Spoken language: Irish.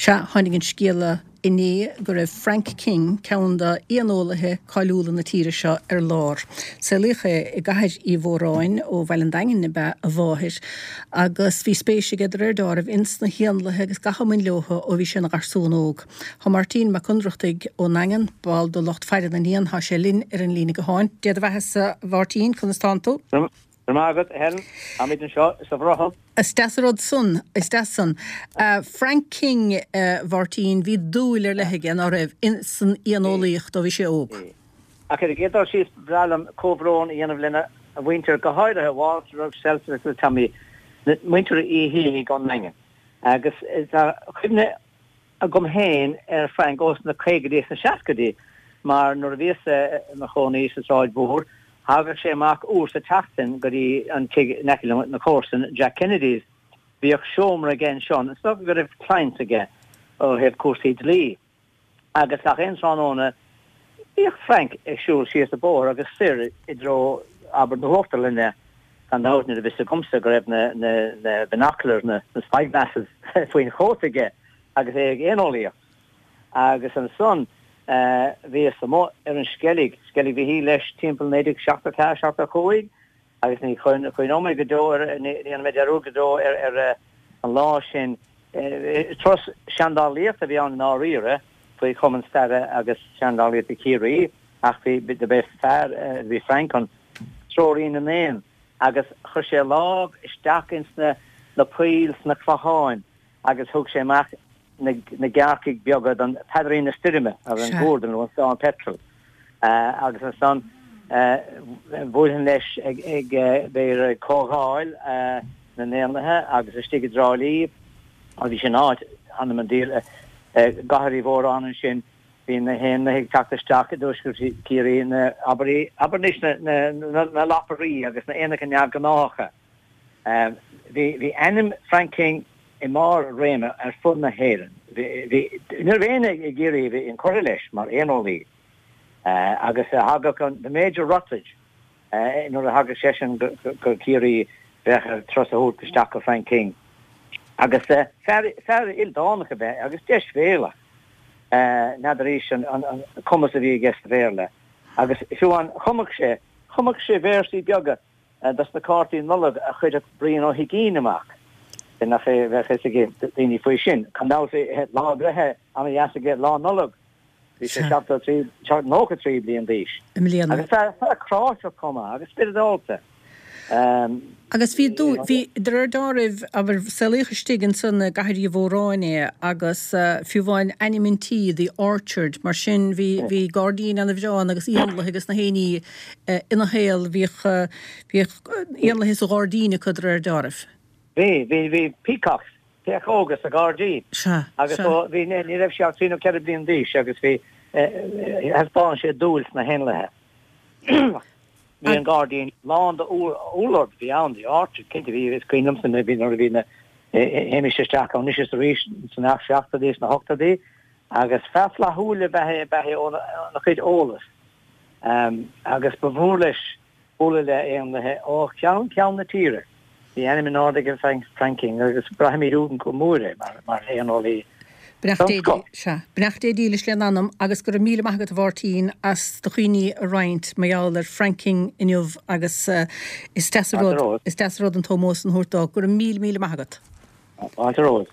Sea, tháinig an scéala inné go raibh Frank King, ceann d'éaneolaithe cáiliúla na tíre seo, ar lár. Saolaíodh é i gCathair Uí Mhóráin, ó Bhaile an Daingin ab ea a mháthair, agus bhí spéis aige de réir deáraimh ins na héanlaithe agus gach a mbain leothu ó bhí sé ina gharsún óg. Tá Máirtín Mac Ionnrachtaigh ón nDaingean, ball de lucht faire na n-éan, tá sé linn ar an líne gutháin. Dé do bheathasa, a Mháirtín, conas tánn tú? Go raibh maith agat, a Helen. Táimid anseo sa bhrothall. Is deas an rud san, is deas san. Frank King, a Mháirtín, bhí dúil ar leith aige, ná raibh, san éaneolaíocht ó bhí sé óg. Bhí. Ach ar an gcéad dul síos, ba bhreá liom comhbhrón a dhéanamh lena mhuintir, go háirithe Walter agus Celso agus Tommy, muintir Uí hIanaigh ón nDaingean. Agus tá cuimhne agam féin ar Frank ós na caogaidí is na seascaidí mar nuair a bhíos i mo chónaí sa tSráid Mhór thagadh sé amach uair sa tseachtain go dtí an tigh in aice liom, na comharsain, Jack Kennedy's. Bhíodh seomra aige ansan, is dócha go raibh clients aige ó thaobh cúrsaí dlí. Agus gach aon tráthnóna bhíodh Frank ag siúl síos an bóthar agus soir i dtreo, abair, na hUachtarlainne. Gan dabht ní raibh fhios agamsa go raibh na, na, na binoculars, na, na spyglasses faoin chóta aige agus é ag éaneolaíocht. Agus ansan bhíos amuigh ar an Sceilg, Sceilg Mhichíl leis timpeall 1974, 75 agus ní chuimhneoidh mé go deo ar, ní dhéanfaidh mé dearúd go deo ar, ar an lá sin. Turas seandálaíochta a bhí ann i ndáiríre faoi Chumann Staire agus Seandálaíochta Chiarraí ach bhí, do b'é fear, bhí Frank an treoraí na n-éan agus chuir sé a lámh isteach ins na, na poill sna clocháin agus thug sé amach na gearrcaigh beaga don Peadairín na Stoirme, ar an gcuardal nó an Storm Petrel. Agus ansan bhuailfinn leis ag, b'fhéidir ag Comhdháil na nÉanlaithe agus istigh i dTrá Lí, agus bhí sin áit, th'anam 'on diabhal, i gCathair Uí Mhóráin ansin, bhí na héanlaithe ag teacht isteach i dtuaisceart Chiarraí, na, abair, abair anois, na, na lapairí agus na éanacha neamhghnáthacha. Bhí ainm Frank King i mbarr a réime ar fud na hÉireann. Bhí, ní raibh éinne i gCiarraí a bhí inchurtha leis mar éaneolaí. Agus thagadh an the Major Ruttledge, nuair a thagadh seisean go Ciarraí bheadh air turas a thabhairt isteach go Frank King. Agus fear, fear ildánach ab ea é agus deisbhéalach. N'fheadaraís an cumas a bhí aige sa Bhéarla. Agus fiú amháin chumadh sé, chumadh sé véarsaí beaga. dos na cártaí Nollag a chuireadh Brian Ó hUiginn amach. Nach é bheadh fhios ag daoine faoi sin. Gan dabht lá breithe ana-dheas aige Lá Nollag. Bhí sé 73, 93 bliain d'aois. I mbliana. Agus fear, fear cráiteach chomh maith agus spioradálta. Agus bhí dúil, bhí, de réir deáraimh, abair, saolaíodh istigh ansan i gCathair Uí Mhóráin é agus fiú amháin ainm an tí, The Orchard, mar sin bhí, bhí gairdín ana-bhreá ann agus éanlaithe agus na héiní ina shaol, bhíodh, bhíodh éanlaithe sa ghairdín acu de réir deáraimh. Bhí, bhí, bhí peacocks, péacóga sa ghairdín. Sea, Agus sea. ó, bhí, ní raibh sé ach trí nó ceithre bliana d'aois agus bhí, thaispeáin sé dúil sna héanlaithe. Bhí an gairdín lán de úllord, bhí ann, the orchard, cinnte bhí, is cuimhin liomsa nuair a bhí, nuair a bhí na, théimis isteach ann anois is arís sna seachtóidí, sna hochtóidí agus fear flaithiúil ab ea é, ab ea é óna chuid eolas. Agus ba mhór leis bualadh le éanlaithe ó cheann ceann na tíre. Bhí ainm in airde ag Frank King agus braithimid uainn go mór é mar éaneolaí den scoth. Sea. Beannacht Dé dílis lena anam agus go raibh míle maith agat a Mháirtín as do chuimhní a roinnt mar gheall ar Frank King inniu agus is deas an rud, is deas an rud an t-ómós san a thabhairt dó. Go raibh míle míle maith agat. Fáilte romhat.